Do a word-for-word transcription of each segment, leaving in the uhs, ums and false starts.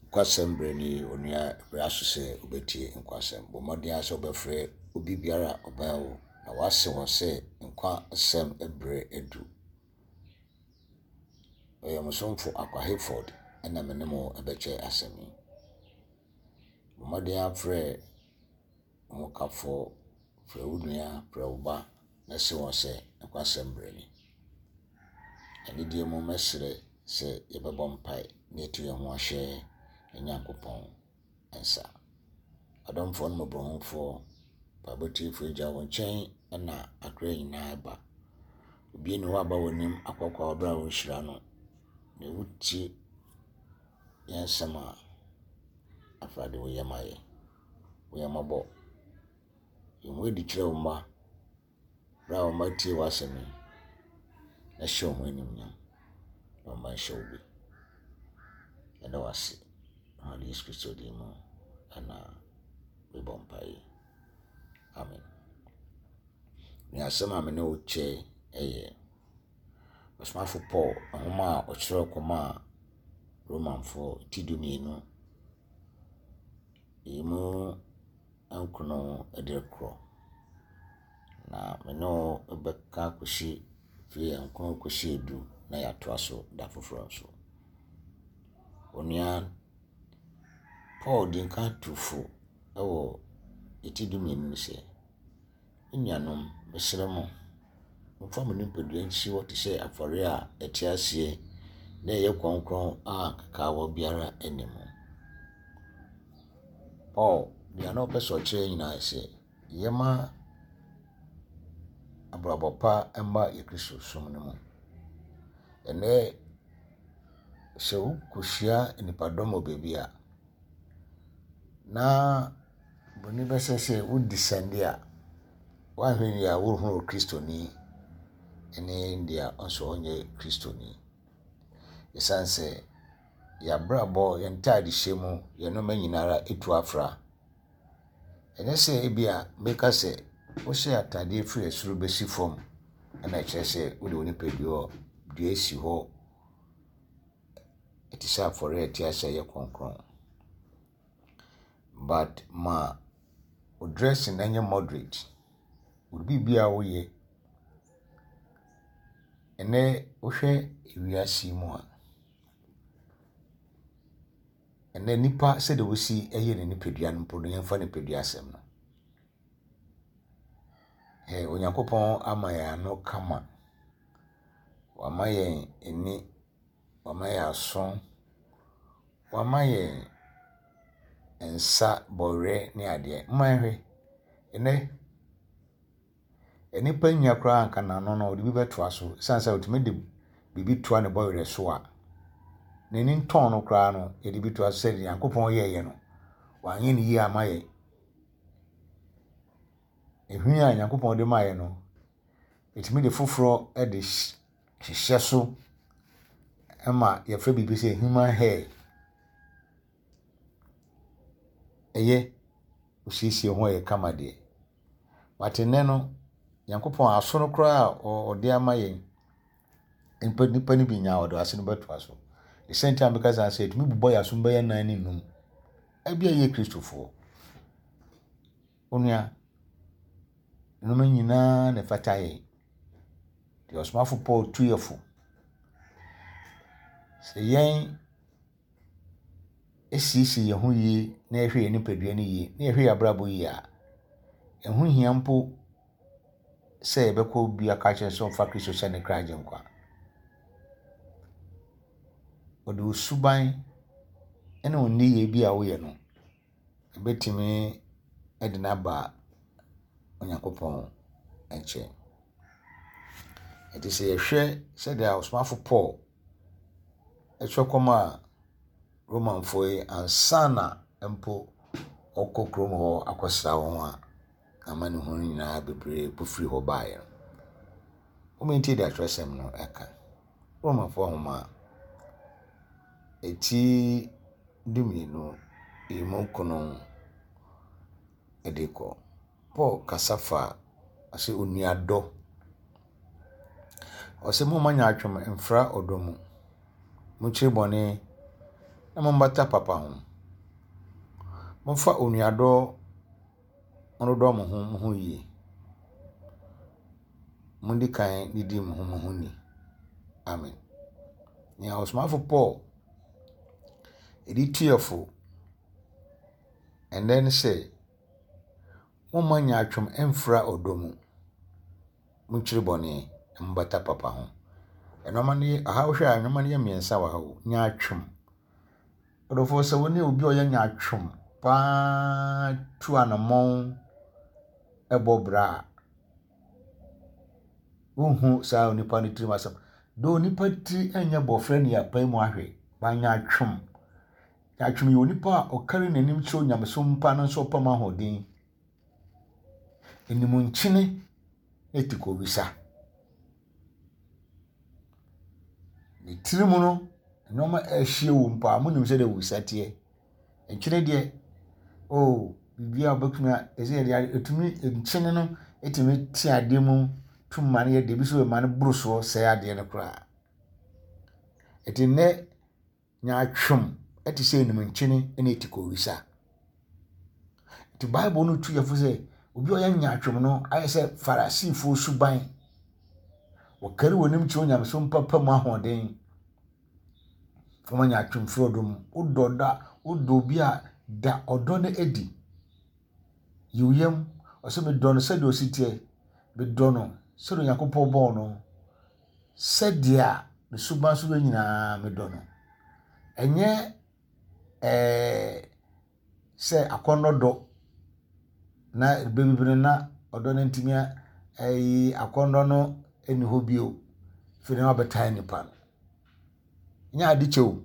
Nkwasɛm berɛ nie, onua berɛ aso sɛ wobɛtie nkwasɛm. Bɔ mmɔden ara sɛ wobɛfrɛ obi biara a ɔbɛn wo na woase wɔn sɛ nkwa asɛm berɛ adu. Ɔyɛ mo somfo Akwa Hayford ɛna me ne mo bɛkyɛ asɛm yi. Bɔ mmɔden ara frɛ wo hokafoɔ, frɛ wo nua, frɛ wo ba na se wɔn sɛ nkwasɛm berɛ ni. Anidie mu mɛsrɛ sɛ yɛbɛbɔ mpae na yɛatu yɛn ho ahyɛ yɛn Nyankopɔn nsa. Adomfoɔ ne mmɔborɔhunufoɔ, mpaebɔ tiefoɔ Agya, wo nkyɛn na akra nyinaa ba. Obi nni hɔ a aba w'anim akɔkɔ a wɔbrɛ a wonhyira no. Na wotie yɛn nsɛm a afei de wo yam ayɛ. Wo yam mmɔbɔ. Yi wo ho adi kyerɛ wo mma berɛ a wo mma tie w'asɛm yi na hyɛ wo ho animuonyam na wo mma nhyɛ wo bi. Yɛda wo ase. Awurade Yesu Kristo din mu ɛna mebɔ mpaeɛ. Amen. Ne asɛm a me ne wo kyɛ yɛ Ɔsomafo Paul nhoma a ɔkyerɛw kɔmaa Romanfoɔ ti dumienu emu nkron de rekorɔ. Na me ne wo bɛka akɔsi firi nkron kɔsi edu na yɛatoa so da foforɔ nso. Onua Paul di nkan tu fo wɔ ti dumienu no sɛ, Me nuanom, mesrɛ mo, momfa mo nipadua nsi hɔ te sɛ afɔre a ɛte aseɛ na ɛyɛ kronkron a nkekaawa biara nni mu. Paul, deɛ na ɔpɛ sɛ ɔkyerɛ nyinaa sɛ, yɛma abrabɔ pa mma yɛ Kristo som no mu. Ɛnnɛ, sɛ wokɔhyia nnipadɔm wɔ baabi a, na buroni bɛsɛ sɛ wodescend a, woanhwɛ yie a wohunu Kristoni ne deɛ nso ɔnyɛ Kristoni. Ɛsiane sɛ yɛabrabɔ, yɛn ntaadehyɛ mu, yɛn nneɛma nyinaa etu afra. Ɛnyɛ sɛ ebi a meka sɛ wohyɛ ataadeɛ firi soro bɛsi fam ɛna ɛkyerɛ sɛ wode wo nipadua dua si hɔ ɛte sɛ afɔre a ɛte ase a ɛyɛ kronkron. But ma wo dressing nyɛ moderate. Wo biribiara a woyɛ ɛnnɛ wohwɛ ewiase yi mu a, ɛnnɛ nipa sɛdeɛ wosi yɛ ne nipadua no mpo no yɛmfa nipadua asɛm no. Ɛ Onyankopɔn ama yɛn ano kama. Wama yɛn ani, wama yɛn aso, wama yɛn nsa, bɔwerɛ ne adeɛ. Mma yɛnhwɛ, ɛnnɛ nnipa nya koraa anka n'ano no ɔde bi bɛtoa so ɛsiane sɛ ɔtumi de biribi toa ne bɔwerɛ so a, n'ani ntɔn no koraa no yɛde bi toa so sɛdeɛ Nyankopɔn yɛeɛ no, wanyɛ no yie ama yɛn. Ehwini a Nyankopɔn de maa yɛn no, ɛtumi de foforɔ de hyehyɛ so ma yɛfrɛ biribi sɛ human hair. Ɛyɛ osiesie ho a ɛyɛ kama deɛ. But nnɛ no, Nyankopɔn aso no koraa a ɔde ama yɛn, nipa nipa no bi nya a ɔde ase no bɛtoa so. The same time meka saa sɛ ɛtumi bobɔ yɛn asom bɛyɛ nan ne num. Ebi a yɛ Kristofoɔ. Onua, nneɛma nyinaa na ɛfata yɛn. Deɛ ɔsomafo Paul tu yɛ fo. Sɛ yɛn esiesie yɛn ho yie na yɛhwɛ yɛn nipadua no yie na yɛhwɛ yɛn abrabɔ yie a, ɛho hia mpo sɛ yɛbɛkɔ obi aka kyerɛ sɛ ɔmfa Kristo sɛ ne kra agyenkwa. Ɔde wo suban ne wo nneyɛe bi a woyɛ no, ɛbɛtumi de no aba Onyankopɔn nkyɛn. Nti sɛ yɛhwɛ sɛdeɛ ɔsomafo Paul ɛtwerɛ kɔmaa Romanfoɔ yi ansa na mpo ɔkɔ kurom hɔ akɔsra wɔn a amanehunu nyinaa bebree po firi hɔ baeɛ no. Wɔn ntie deɛ atwerɛsɛm no ɛka. Romanfoɔ nhoma a ɛti dumienu emu nkron de kɔ. Paul kasa fa ɔsɛ onuadɔ. Ɔsɛ momma nyaatwom mfra ɔdɔ mu. Monkyiri bɔne na mommata papa ho. Momfa onuadɔ nnodɔ mo ho mo ho yie. Mundi kan didi mo ho mo ho ni. Amen. Nea ɔsomafo Paul de tu yɛn fo ɛnnɛ ne sɛ, momma nyaatwom mfra ɔdɔ mu. Monkyiri bɔne na mombata papa ho. Nneɛma no yɛ aha wohwɛ a nneɛma no yɛ mmiɛnsa wɔ ha o. Nyaatwom. Ɔdɔfoɔ sɛ wo ne obi a ɔyɛ nyaatwom paa tu anammɔn bɔ bra a, wonhu saa onipa no tirim asɛm. Though onipa tiri nyɛ bɔfrɛ ne yɛapae mu ahwɛ, ba nyaatwom. Nyaatwom yɛ onipa a ɔkari n'anim kyerɛ onyamesom pa no nso ɔpam ahoɔden. Anim nkyene na ti kɔwisa. Ne tiri mu no, nneɛma a ɛrehyia wɔ mu paa, monim sɛdeɛ wisa teɛ. Nkyene deɛ, oh, biribiara a wobɛtumi a, ɛsɛ yɛde ade, ɛtumi, nkyene no ɛtumi te adeɛ mu tum ma no yɛ deɛ, ebi nso ma no boro soɔ sɛe adeɛ no koraa. Ɛti nnɛ, nyaatwom ɛte sɛ anim nkyene ne ɛti kɔwisa. Nti Bible no tu yɛfo sɛ, obi a ɔyɛ nyaatwom no ayɛ sɛ Farisifoɔ suban. Wɔkari wɔn anim kyerɛ onyamesom papa mu ahoɔden. Wɔma nyaatwom firi ɔdɔ mu. Wodɔ da, wodɔ obi a da ɔdɔ no adi. Yi wo yam. Ɔsɛ medɔ no sɛdeɛ ɔsi teɛ. Medɔ no sɛdeɛ Onyankopɔn bɔɔ no. Sɛdeɛ ne suban so yɛ nyinaa medɔ no. Ɛnyɛ ɛɛ sɛ akɔnnɔ dɔ na bebree na ɔdɔ no ntumi ɛyi akɔnnɔ no ɛni hɔ bio. Afei na wabɛtaa nipa no. Nyɛ ade kyɛ o.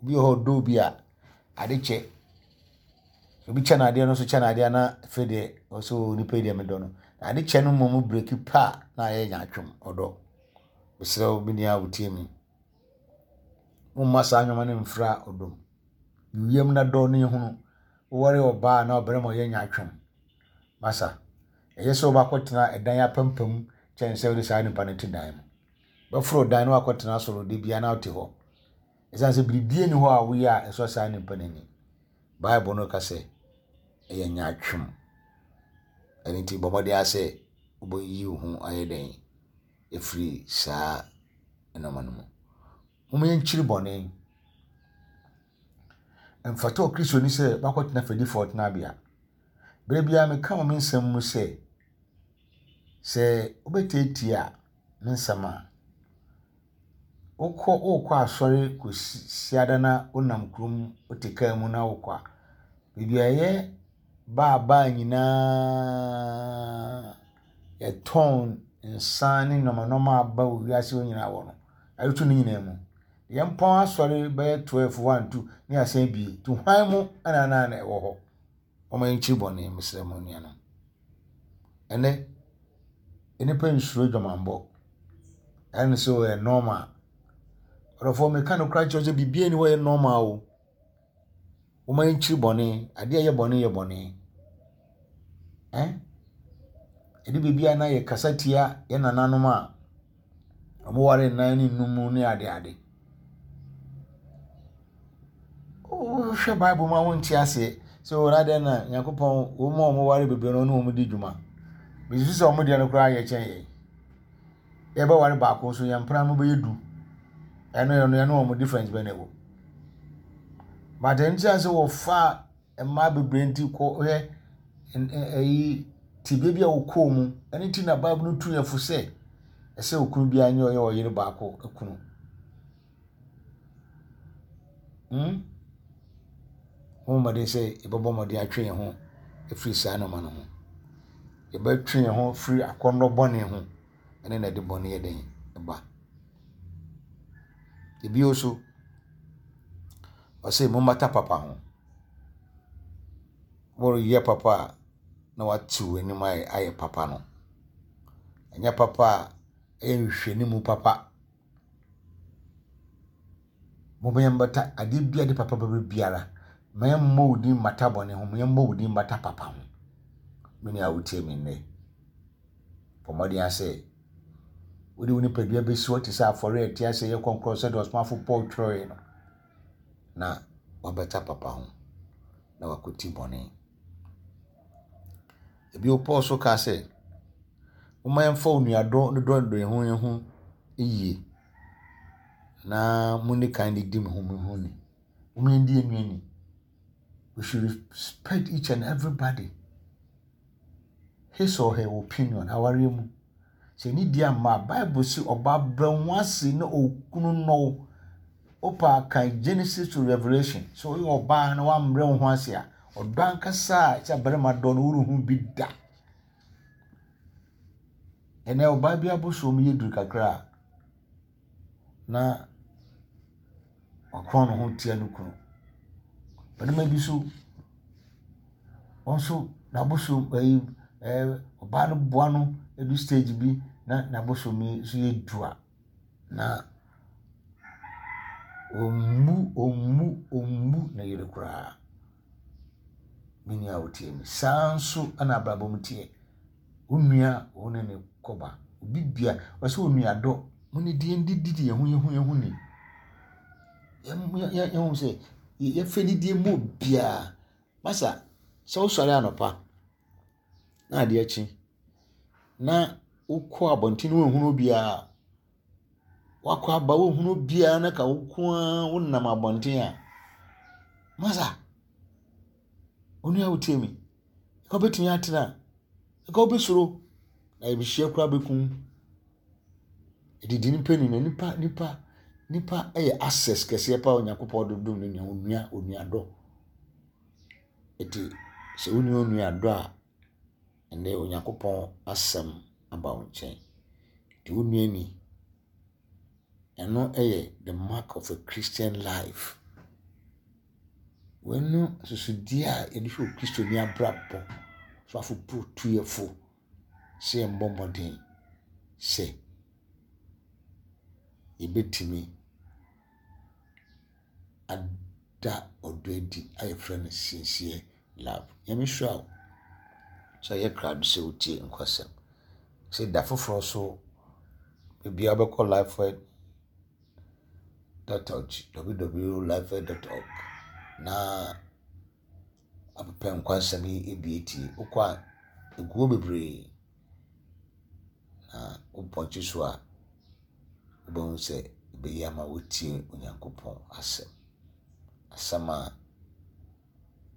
Obi wɔ hɔ ɔdɔ obi a ade kyɛ. Obi kyɛ n'adeɛ no nso kyɛ n'adeɛ na afei deɛ ɔsɛ o nipa yi deɛ medɔ no. Na ade kyɛ no mmom breki pa na ayɛ nyaatwom ɔdɔ. Mesrɛ wo me nua a wotie me. Momma saa nneɛma no mfra ɔdɔ mu. Wiem na dɔ no ehunu. Woware ɔbaa na ɔbarima ɔyɛ nyaatwom. Masa, ɛyɛ sɛ wobɛakɔtena ɛdan apampam kyɛn sɛ wode saa nipa no te dan mu. Bɛforo dan no wakɔtena soro de bia na wote hɔ. Ɛsiane sɛ biribiara nni hɔ a woyɛ a ɛsɔ saa nipa no ani. Bible no ka sɛ ɛyɛ nyaatwom. Ɛno nti bɔ mmɔden ara sɛ wobɛyi wo ho ayɛ dɛn ɛfiri saa nneɛma no mu. Momma yɛnkyiri bɔne. Mfata Okristoni sɛ wakɔtena fɛdifoɔ tenabea. Berɛ biara meka wɔ me nsɛm mu sɛ, sɛ wobɛtiatia me nsɛm a, wokɔ wokɔ asɔre kɔsi ada na wonam kurom wote kaa mu na wokɔ a, baabi a ɛyɛ baabaa nyinaa yɛtɔn nsa ne nneɛma nneɛma a aba wɔ wiase hɔ nyinaa wɔ no, ayoto no nyinaa mu. Yɛmpɔn asɔre bɛyɛ twelve, one, two ne asan bie. Nti hwan mu ɛna na na ɛwɔ hɔ? Wɔma yɛnkyiri bɔne, mesrɛ mo nuanom. Ɛnɛ, nnipa nsuro adwamammɔ. Ɛno sɛ ɔyɛ normal. Ɔdɔfoɔ meka no koraa kyerɛ sɛ biribiara nni hɔ a ɛyɛ normal o. Wɔma yɛnkyiri bɔne. Adeɛ a ɛyɛ bɔne yɛ bɔne. Eh? Ɛde biribi a na yɛkasa tia yɛn nananom a wɔware nnan ne nnum ne adeade. Wohwɛ Bible mu a wonte aseɛ sɛ wɔn adeɛ na Nyankopɔn wɔn a wɔware bebree no ne wɔn di dwuma. Mesusu sɛ wɔn deɛ no koraa yɛ kyɛn yɛn. Yɛbɛware baako nso yɛn mpena no bɛyɛ du. Ɛno ɛno ɛno wɔn difference bɛn na ɛwɔ. But ɛno ti sɛ wɔfa mmaa bebree nti kɔ hwɛ ɛyi tibea bi a wɔkɔɔ mu. Ɛno ti na Bible no tu yɛn fo sɛ ɛsɛ okunu biara nyɛ ɔyɛ ɔyere baako kunu. Hmm? Wɔn mmɔden sɛ yɛbɛbɔ mmɔden atwe yɛn ho afiri saa nneɛma no ho. Yɛbɛtwe yɛn ho firi akɔnnɔ bɔne ho. Ɛne na ɛde bɔne yɛ den ɛba. Ebio nso, ɔsɛ mommata papa ho. Wɔreyɛ papa a na wate w'anim ayɛ ayɛ papa no. Ɛnyɛ papa a ɛyɛ nhwehwɛnimu papa. Momma yɛmmata adeɛ biara de papa bɛba biara. Ma yɛmmɔ wo din mmata bɔne ho, ma yɛmmɔ wo din mmata papa ho. Me nua a wotie me nnɛ, bɔ mmɔden ara sɛ wode wo nipadua bɛsi hɔ te sɛ afɔre a ɛte ase yɛ kronkron sɛdeɛ ɔsomafo Paul twerɛeɛ no. Na wabɛta papa ho na wakɔti bɔne. Ebio Paul so kaa sɛ, momma yɛmfa onuadɔ ne dɔ dɔ yɛn ho yɛn ho yie na monni kan de di mo ho mo ho ni. Momma yɛndi yɛn nua ni. We should respect each and everybody. His or her opinion, awareɛ mu. Sɛ ne di amma a, Bible si ɔbaa brɛ ho ase na okunu nnɔ wo. Wopa kan Genesis to Revelation. Sɛ woyɛ ɔbaa na woambrɛ wo ho ase a, ɔdɔ ankasa a sɛ barima dɔ no worenhu bi da. Ɛnɛ ɔbaa bi abosom yɛ duru kakra a, na wakorɔn ne ho tia ne kunu. Barima bi so, ɔno nso n'abosom ɛyi ɛɛ ɔbaa no boa no edu stage bi na n'abosom yi nso yɛ du a, na ɔmmu ɔmmu ɔmmu ne yere koraa. Me nua a wotie me. Saa nso ɛna abrabɔ mu teɛ. Wo nua wo ne ne kɔba. Obi bia ɔsɛ onuadɔ. Mo ne deɛ ndidi yɛn ho yɛn ho yɛn ho ni. Yɛn yɛn yɛn ho sɛ yɛfɛ didie mu obiara. Masa sɛ wosɔre anɔpa na adeɛ kye na wokɔ abɔnten wonhunu obiara, wakɔ aba wohunu obiara na ka wo nko ara wonam abɔnten a, masa onua wotie me, nka wobɛtumi atena, nka wobɛsuro na ebihyia koraa bɛkum. Edidi nipa ni na nipa nipa nipa yɛ access kɛseɛ paa Onyankopɔn de dom ne nua onua onuadɔ. Eti sɛ wo nua onuadɔ a, ɛnɛ Onyankopɔn asɛm aba wo nkyɛn. Nti wo nua ni, ɛno yɛ the mark of a Christian life. Wɔno susudeɛ a yɛde hwɛ okristoni abrabɔ so afopo tuyɛfo sɛ yɛmbɔ mmɔden sɛ yɛbɛtumi ada ɔdɔ adi a yɛfrɛ no sincere love. Nyame hyira wo sɛ yɛ krado sɛ wotie nkwasɛm. Sɛ da foforɔ so ebia wobɛkɔ lifeword dot org www lifeword dot org na apepɛ nkwasɛm yi ebi etie. Wokɔ a egu hɔ bebree na wopɔnkye so a wobɛhu sɛ ɛbɛyɛ ama wotie Onyankopɔn asɛm. Asɛm a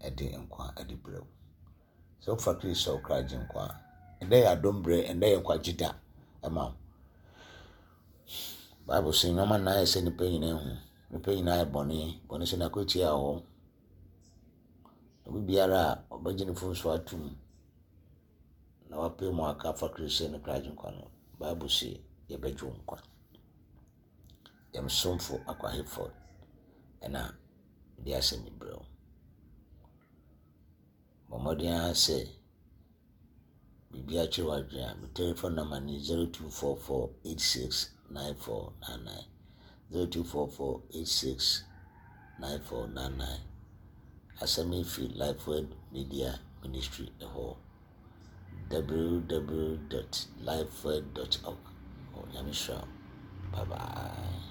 ɛde nkwa ɛde brɛ wo. Sɛ wofa Kristo sɛ wo kra gye nkwa a, ɛnnɛ yɛ adom berɛ, ɛnnɛ yɛ nkwagye da ɛma wo. Bible sɛ nneɛma nnan yɛ sɛ nnipa nyinaa hu. Nnipa nyinaa yɛ bɔne. Bɔne sɛ n'akwatia wɔ hɔ. Obi biara a ɔbɛgye ne mfomso atom na wapɛ mu aka afa Kristo sɛ ne kra gye nkwa no, Bible sɛ yɛbɛgye wo nkwa. Yɛn somfo Akwa Hayford ɛna de asɛm yi brɛ wo. Bɔ mmɔden ara sɛ biribi akyerɛ w'adwene a, me telephone number ne zero two four four eight six nine four nine nine zero two four four eight six nine four nine nine. Asɛm yi firi Lifeword Media Ministry ɛhɔ www dot lifeword dot org. Nyame hyira wo. Bye bye.